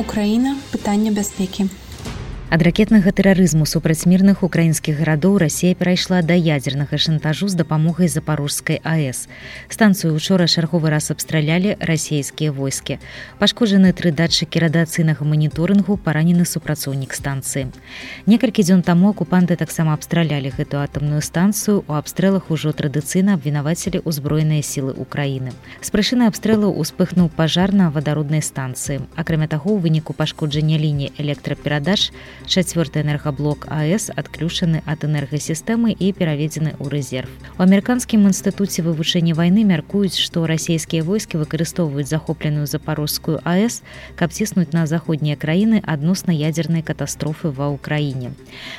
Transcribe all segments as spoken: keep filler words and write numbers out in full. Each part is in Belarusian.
Украіна. Пытанне бяспекі. Ад ракетнага тэрарызму супраць мірных украінскіх гарадоў Расія перайшла да ядзернага шантажу з дапамогай Запарожскай АЭС. Станцыю учора чарговы раз абстралялі расійскія войскі. Пашкоджаны тры датчыкі радыацыйнага маніторынгу, паранены супрацоўнік станцыі. Некалькі дзён таму акупанты таксама абстралялі гэту атамную станцыю. У абстрэлах ужо традыцыйна абвінавацілі ўзброеныя сілы Украіны. З прычыны абстрэлу ўспыхнуў пажар на вадароднай станцыі. Акрамя таго, у выніку пашкоджання лініі электраперадач чацвёрты энергаблок АЭС адключаны ад энергасістэмы і пераведзены ў рэзерв. У амерыканскім інстытуце вывучэння вайны мяркуюць, што расійскія войскі выкарыстоўваюць захопленую Запорожскую АЭС, каб ціснуць на заходнія краіны адносна ядзернай катастрофы ва ўкраіне.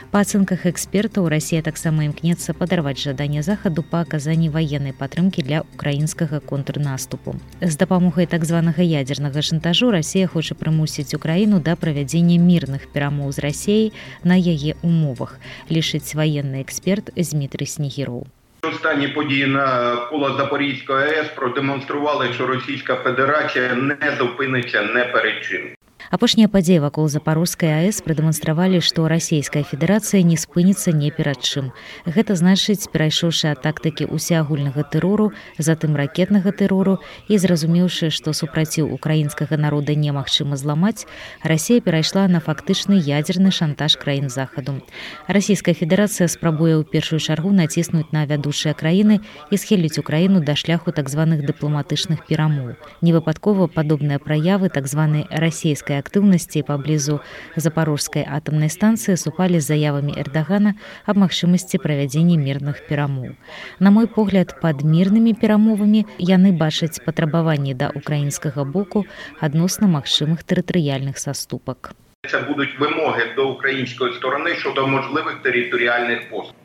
Па ацэнках экспертаў, Расія таксама імкнецца падарваць жаданне захаду па аказанні ваеннай падтрымкі для украінскага контрнаступу. З дапамогай так званага ядзернага шантажу Расія хоча прымусіць Украіну да правядзення мірных перамоў з Расією на яе умовах, лічыць воєнний експерт Дмитрий Снігіров. Останні події навколо Запорізької АЕС продемонстрували, що Російська Федерація не зупиниться не перед чим. Апошнія падзеі вакол Запорожскай АЭС прадэманстравалі, што Расійская Федэрацыя не спыніцца ні перад чым. Гэта значыць, перайшоўшы ад тактыкі усеагульнага тэрору, затым ракетнага тэрору і зразумеўшы, што супраціў украінскага народа немагчыма зламаць, Расія перайшла на фактычны ядзерны шантаж краін захаду. Расійская Федэрацыя спрабуе ў першую чаргу націснуць на вядучыя краіны і схіліць Украіну да шляху так званых дыпламатычных перамоў. Невыпадкова падобныя праявы так званай расійскай актыўнасці паблізу Запорожскай атамнай станцыі супалі з заявамі Эрдагана аб магчымасці правядзення мірных перамоў. На мой погляд, пад мірнымі перамовамі яны бачаць патрабаванні да украінскага боку адносна магчымых тэрытарыяльных саступак. Це будуть вимоги до української сторони щодо можливих територіальних поступок.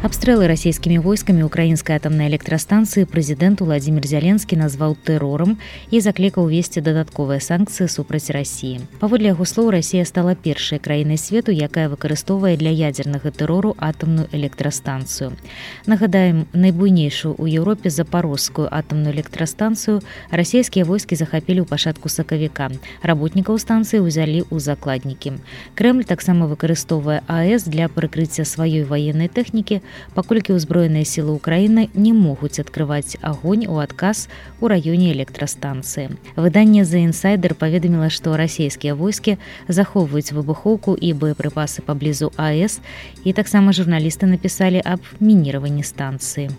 Абстрэлы расійскімі войскамі украінскай атамнай электрастанцыі прэзідэнт Уладзімір Зяленскі назваў тэрорам і заклікаў весці дадатковыя санкцыі супраць Расіі. Паводле яго слоў, Расія стала першай краінай свету, якая выкарыстоўвае для ядзернага тэрору атамную электрастанцыю. Нагадаем, найбуйнейшую ў Еўропе Запорожскую атамную электрастанцыю расійскія войскі захапілі ў пачатку сакавіка. Работнікаў станцыі ўзялі ў закладнікі. Крэмль таксама выкарыстоўвае АЭС для прыкрыцця сваёй ваеннай тэхнікі, паколькі ўзброеныя сілы Украіны не могуць адкрываць агонь у адказ у раёне электрастанцыі. Выданне The Insider паведаміла, што расійскія войскі захоўваюць выбухоўку і боепрыпасы паблізу АЭС, і таксама журналісты напісалі аб мініраванні станцыі.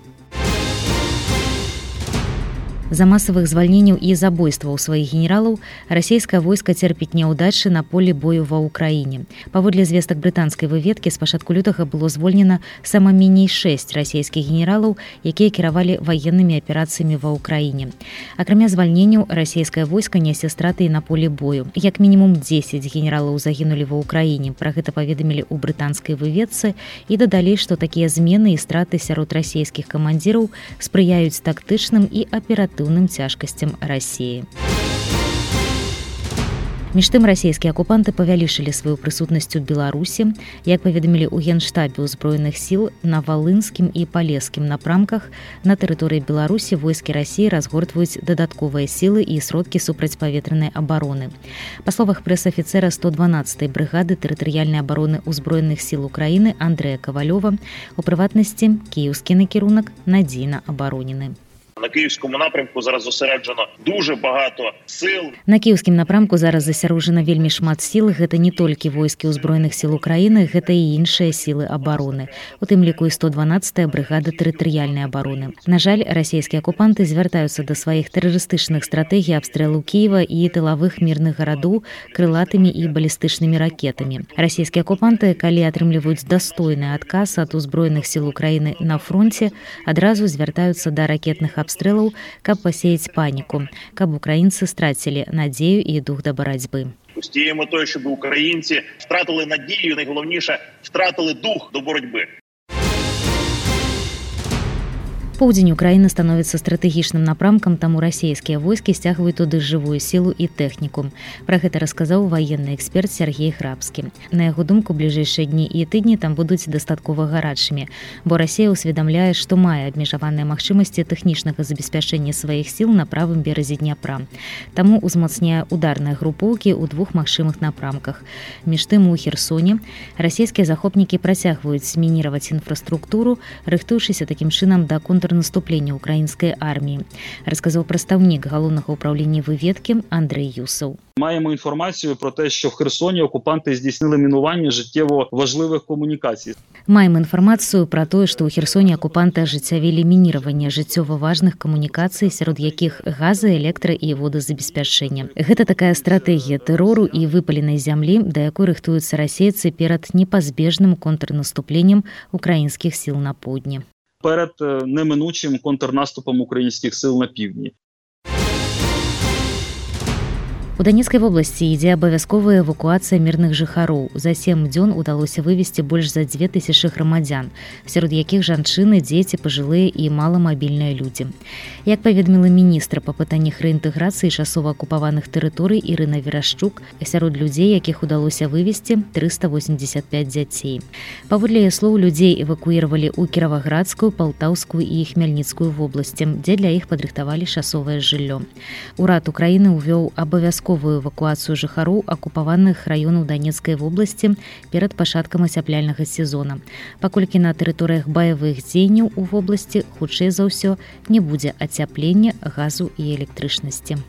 За масавых звальненняў і забойстваў сваіх генералаў расійскае войска церпіць няўдачы на полі бою ва ўкраіне. Паводле звестак брытанскай выведкі, з пачатку лютага было звольнена сама меней шэсць расійскіх генералаў, якія кіравалі ваеннымі аперацыямі ва ўкраіне. Акрамя звальненняў, расійскае войска нясе страты і на полі бою. Як мінімум дзесяць генералаў загінулі ва ўкраіне. Пра гэта паведамілі ў брытанскай выведцы і дадалі, што такія змены і страты сярод расійскіх камандзіраў спрыяюць тактычным і аператыўным цяжкасцям Расіі. Між тым, расійскія акупанты павялічылі сваю прысутнасць у Беларусі. Як паведамілі ў Генштабе ўзброеных сіл, на валынскім і палескім напрамках на тэрыторыі Беларусі войскі Расіі разгортваюць дадатковыя сілы і сродкі супрацьпаветранай абароны. Па словах прэс-афіцэра сто дванаццатай брыгады тэрытарыяльнай абароны ўзброеных сіл Украіны Андрэя Кавалёва, у прыватнасці, кіеўскі накірунак надзейна абаронены. На київському напрямку зараз зосереджено дуже багато сил. На київскім напрамку зараз засярожана вельмі шмат сіл. Гэта не толькі войскі ўзброеных сіл Украіны, гэта і іншыя сілы абароны. У тым ліку і сто дванаццатая брыгада тэрытарыяльнай абароны. На жаль, расійскія акупанты звяртаюцца да сваіх тэрарыстычных стратэгій абстрэлу Кіева і тылавых мірных гарадоў крылатымі і балістычнымі ракетамі. Расійскія акупанты, калі атрымліваюць дастойны адказ ад узброеных сіл Украіны на фронце, адразу звяртаюцца да ракетных абстрэлаў, каб пасеяць паніку, каб украінцы страцілі надзею і дух да барацьбы. З тією метою, щоб українці втратили надію, найголовніше, втратили дух до боротьби. Поўдзень Украіны становіцца стратэгічным напрамкам, таму расійскія войскі сцягваюць туды жывую сілу і тэхніку. Пра гэта расказаў ваенны эксперт Сергей Храбскі. На яго думку, бліжэйшыя дні і тыдні там будуць дастаткова гарачымі, бо Расія ўсведамляе, што мае абмежаваныя магчымасці тэхнічнага забеспячэння сваіх сіл на правым беразе Дняпра. Таму узмацняе ударныя групоўкі ў двух магчымых напрамках. Між тым у Херсоне расійскія захопнікі працягваюць мініраваць інфраструктуру, рыхтуючыся такім чынам да контрнаступлення украінскай арміі, расказаў прадстаўнік галоўнага ўправлення выведкі Андрей Юсов. Маємо інформацію про те, що в Херсоні окупанти здійснили мінування життєво важливих комунікацій. Маем інфармацыю пра тое, што ў Херсоне акупанты ажыццявілі мініраванне жыццёва важных камунікацый, сярод якіх газа, электра і водазабеспячэння. Гэта такая стратэгія тэрору і выпаленай зямлі, да якой рыхтуюцца расейцы перад непазбежным контрнаступленнем украінскіх сіл на поўдні. Перед неминучим контрнаступом українських сил на півдні. У Донецкай вобласці ідзе абавязковая эвакуацыя мірных жыхароў. За сем дзён удалося вывезці больш за дзве тысячы грамадзян, сярод якіх жанчыны, дзеці, пажылыя і маламабільныя людзі. Як паведаміла міністра па пытаннях рэінтэграцыі часова акупаваных тэрыторый Ірына Верашчук, сярод людзей, якіх удалося вывезці трыста восемьдесят пять дзяцей. Паводле яе слоў, людзей эвакуіравалі ў Кіраваградскую, Палтаўскую і Хмельніцкую вобласці, дзе для іх падрыхтавалі часовае жыллё. Урад Украіны ўвёў абавязковую эвакуацыю жыхароў акупаваных раёнаў Донецкай вобласці перад пачаткам ацяпляльнага сезона, паколькі на тэрыторыях баявых дзеянняў у вобласці хутчэй за ўсё не будзе ацяплення, газу і электрычнасці.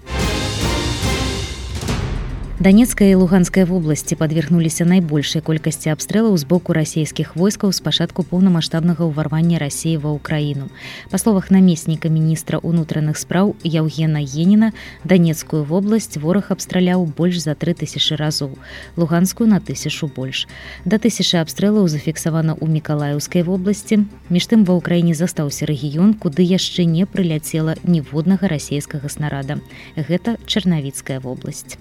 Донецкая і Луганская вобласці падвергнуліся найбольшай колькасці абстрэлаў з боку расійскіх войскаў з пачатку поўнамаштабнага ўварвання Расіі ва Ўкраіну. Па словах намесніка міністра ўнутраных спраў Яўгена Еніна, Донецкую вобласць вораг абстраляў больш за тры тысячы разоў, Луганскую на тысячу больш. Да тысячы абстрэлаў зафіксавана ў Мікалаеўскай вобласці. Між тым ва Ўкраіне застаўся рэгіён, куды яшчэ не прыляцела ніводнага расійскага снарада. Гэта Чарнавіцкая вобласць.